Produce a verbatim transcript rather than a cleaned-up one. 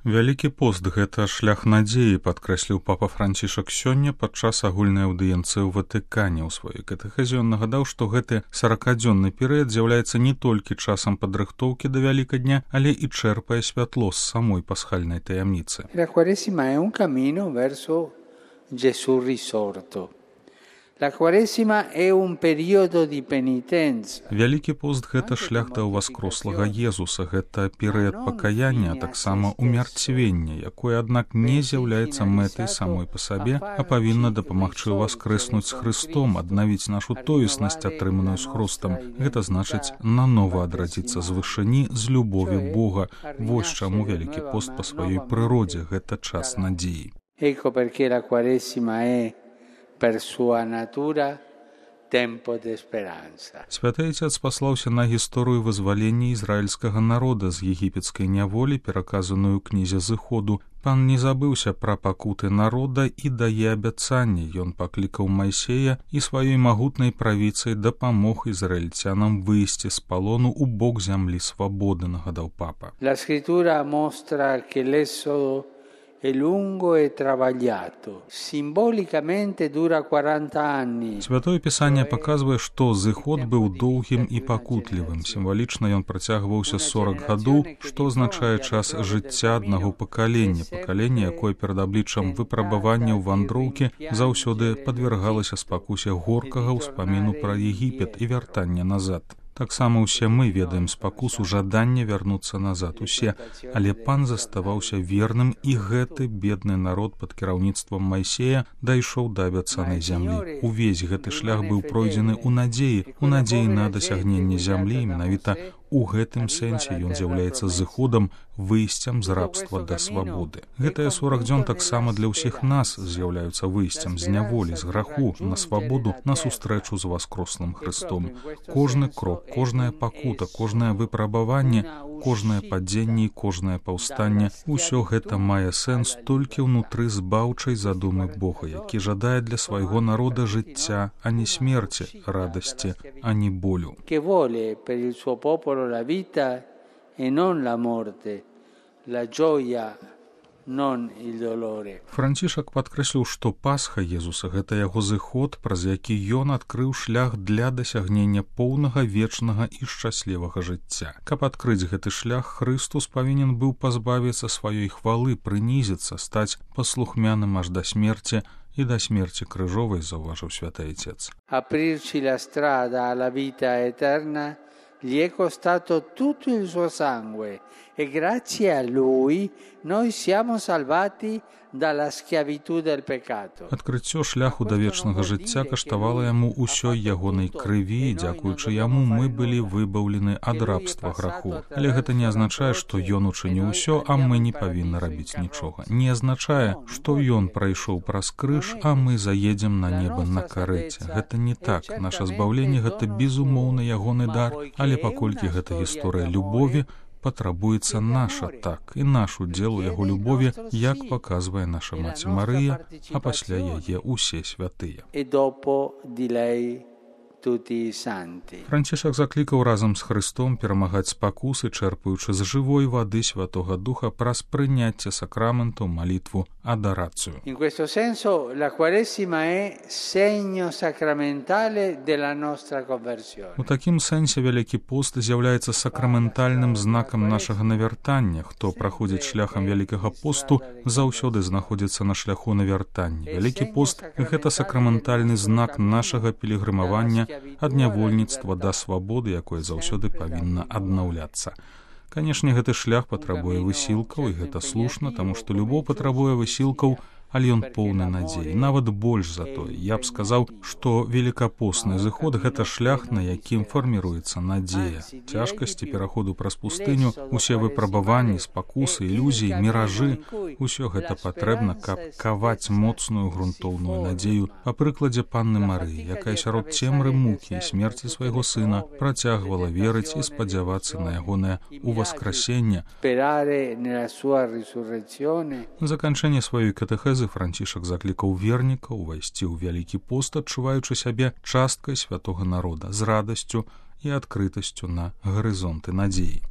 Вялікі пост – гэта шлях надзеі, падкрэсліў папа Францішак сёння падчас агульнай аўдыенцыі ў Ватыкане. У сваёй катэхезе ён нагадаў, што гэты саракадзённы перыяд з'яўляецца не толькі часам падрыхтоўкі да Вялікадня, але і чэрпае святло з самой пасхальнай таямніцы. La Quaresima è un cammino verso Gesù risorto. La Quaresima è un periodo di penitenza. Вялікі пост – гэта шлях да ўваскрослага Езуса, гэта перыяд пакаяння, а таксама умярцвення, якое, аднак, не з'яўляецца мэтай самой па сабе, а павінна дапамагчы ўваскрэснуць з Хрыстом, аднавіць нашу тоеснасць, атрыманую з Хрустам. Гэта значыць нанова адрадзіцца з вышыні, з любові Бога. Вось чаму вялікі пост па сваёй прыродзе – гэта час надзеі. Ecco perché la Quaresima è per sua natura tempo de speranza. Святы Отец паслаўся на гісторыю вызвалення ізраільскага народа з егіпецкай няволі, пераказаную ў кнізе Зыходу. Пан не забыўся пра пакуты народа і дае абяцанне. Ён паклікаў Майсея і сваёй магутнай правіцай дапамог ізраільцянам выйсці з палону ў бок зямлі свабоды, нагадаў папа. La scrittura mostra che l'esodo è lungo e travagliato. Simbolicamente dura quaranta anni. Святое Пісанне паказвае, што зыход быў доўгім і пакутлівым. Сімвалічна ён працягваўся сорак гадоў, што азначае час жыцця аднаго пакалення. Пакаленне, якое перад абліччам выпрабаванняў вандроўкі заўсёды падвяргалася спакусе горкага ўспаміну пра Егіпет і вяртання назад. Таксама ўсе мы ведаем спакусу жадання вярнуцца назад, усе, але пан заставаўся верным, і гэты бедны народ пад кіраўніцтвам Майсея дайшоў да абяцанай зямлі. Увесь гэты шлях быў пройдзены ў надзеі, у надзеі на дасягненне зямлі, менавіта у гэтым сэнсе ён з'яўляецца зыходам, выйсцем з рабства да свабоды. Гэтыя сорак дзён таксама для ўсіх нас з'яўляюцца выйсцем з няволі, з граху, на свабоду, на сустрэчу з воскрослым Хрыстом. Кожны крок, кожная пакута, кожнае выпрабаванне, кожнае падзенне і кожнае паўстанне – усё гэта мае сэнс толькі ўнутры збаўчай задумы Бога, які жадае для свайго народа жыцця, а не смерці, радасці, а не болю. La vita e non la morte, la gioia, non il dolore. Францішак падкрэсліў, што Пасха Езуса – гэта яго зыход, праз які ён адкрыў шлях для дасягнення поўнага, вечнага і шчаслівага жыцця. Каб адкрыць гэты шлях, Хрыстус павінен быў пазбавіцца сваёй хвалы, прынізіцца, стаць паслухмяным аж да смерці і да смерці крыжовай, заўважыў святы Отец. Aprirci la strada alla vita eterna gli è costato tutto il suo sangue e grazie a lui noi siamo salvati dalla schiavitù del peccato. Адкрыццё шляху да вечнага жыцця каштавала яму ўсёй ягонай крыві, і дзякуючы яму мы былі выбаўлены ад рабства граху. Але гэта не азначае, што ён учыніў усё, а мы не павінны рабіць нічога. Не азначае, што ён прайшоў праз крыж, а мы заедзем на неба на карэце. Гэта не так. Наша збаўленне – гэта безумоўна ягоны дар, але паколькі гэта гісторыя любові, патрабуецца наша так і наш удзел у яго любові, як паказвае наша маці Марыя, а пасля яе ўсе святыя. Францішак заклікаў разам з Хрыстом перамагаць спакусы, чэрпаючы з жывой вады Святога Духа праз прыняцце сакраменту, малітву, адорацыю. In questo senso la Quaresima è segno sacramentale della nostra conversione. У такім сэнсе Вялікі пост з'яўляецца сакраментальным знакам нашага навяртання. Хто праходзіць шляхам Вялікага посту, заўсёды знаходзіцца на шляху навяртання. Вялікі пост – гэта сакраментальны знак нашага пілігрымавання ад нявольніцтва да свабоды, якое заўсёды павінна аднаўляцца. Канешне, гэты шлях патрабуе высілкаў, і гэта слушна, таму што любоў патрабуе высілкаў, але ён поўны надзеі, нават больш за тое. Я б сказаў, што велікапостны зыход – гэта шлях, на якім фарміруецца надзея. Цяжкасці пераходу праз пустыню, усе выпрабаванні, спакусы, ілюзіі, міражы – усё гэта патрэбна, каб каваць моцную грунтоўную надзею па прыкладзе панны Марыі, якая сярод цемры мукі і смерці свайго сына працягвала верыць і спадзявацца на ягонае уваскрасенне. Заканчэнне сваёй катэхезы Францішак заклікаў вернікаў увайсці ў Вялікі пост, адчуваючы сябе часткай святога народа, з радасцю і адкрытасцю на гарызонты надзеі.